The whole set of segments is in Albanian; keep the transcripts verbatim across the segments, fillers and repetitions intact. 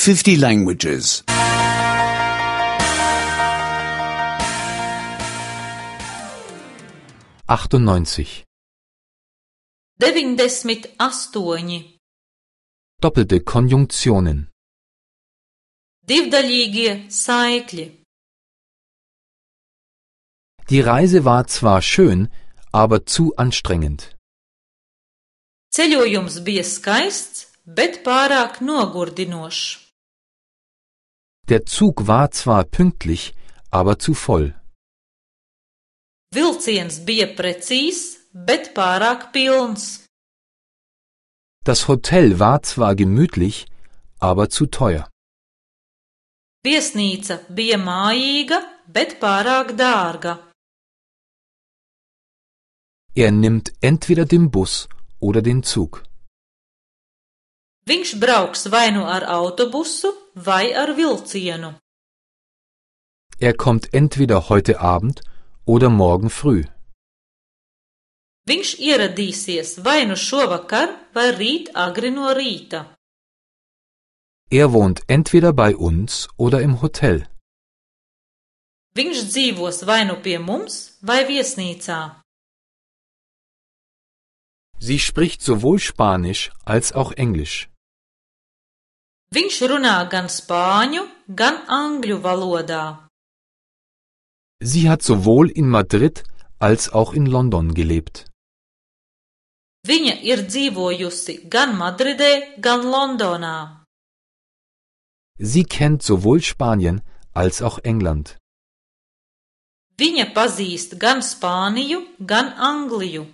fifty languages. achtundneunzig. Deviņdesmit astoņi. Doppelte Konjunktionen. Divdaļīgie saikļi. Die Reise war zwar schön, aber zu anstrengend. Ceļojums bija skaists, bet pārāk nogurdinošs. Der Zug war zwar pünktlich, aber zu voll. Vilciens bija precīzs, bet pārāk pilns. Das Hotel war zwar gemütlich, aber zu teuer. Viesnīca bija mājīga, bet pārāk dārga. Er nimmt entweder den Bus oder den Zug. Viņš brauks vai nu ar autobusu, vai ar vilcienu. Er kommt entweder heute Abend oder morgen früh. Viņš ieradīsies vai nu šovakar, vai rīt agri no rīta. Er wohnt entweder bei uns oder im Hotel. Viņš dzīvos vai nu pie mums, vai viesnīcā. Sie spricht sowohl Spanisch als auch Englisch. Viņš runā gan spāņu, gan angļu valodā. Sie hat sowohl in Madrid als auch in London gelebt. Viņa ir dzīvojusi gan Madridē, gan Londonā. Sie kennt sowohl Spanien als auch England. Viņa pazīst gan Spāniju, gan Angliju.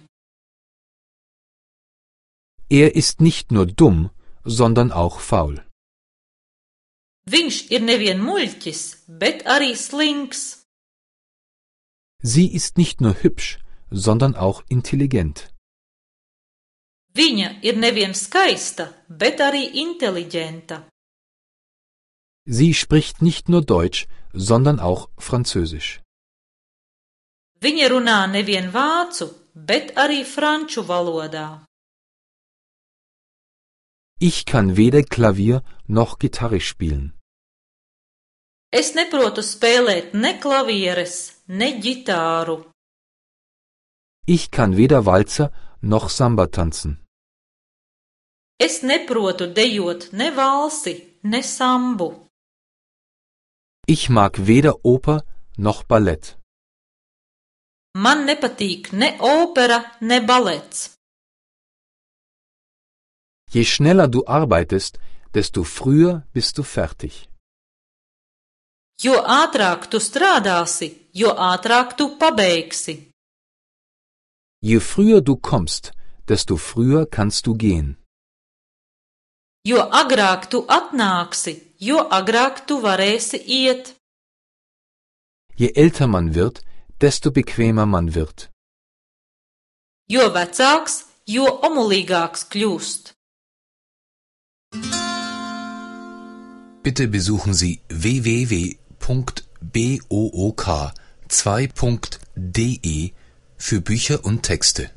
Er ist nicht nur dumm, sondern auch faul. Viņš ir nevien muļķis, bet arī slinks. Sie ist nicht nur hübsch, sondern auch intelligent. Viņa ir nevien skaista, bet arī inteliģenta. Sie spricht nicht nur Deutsch, sondern auch Französisch. Viņa runā nevien vācu, bet arī franču valodā. Ich kann weder Klavier noch Gitarre spielen. Es neprotu spēlēt ne klavieres, ne ģitāru. Ich kann weder Walzer noch Samba tanzen. Es neprotu dejot ne valsi, ne sambu. Ich mag weder Oper noch Ballett. Man nepatīk ne opera, ne balets. Je schneller du arbeitest, desto früher bist du fertig. Jo ātrāk tu strādāsi, jo ātrāk tu pabeigsi. Je früher du kommst, desto früher kannst du gehen. Jo agrāk tu atnāksi, jo agrāk tu varēsi iet. Je älter man wird, desto bequemer man wird. Jo vecāks, jo omulīgāks kļūst. Bitte besuchen Sie w w w punkt b o o k zwei punkt d e für Bücher und Texte.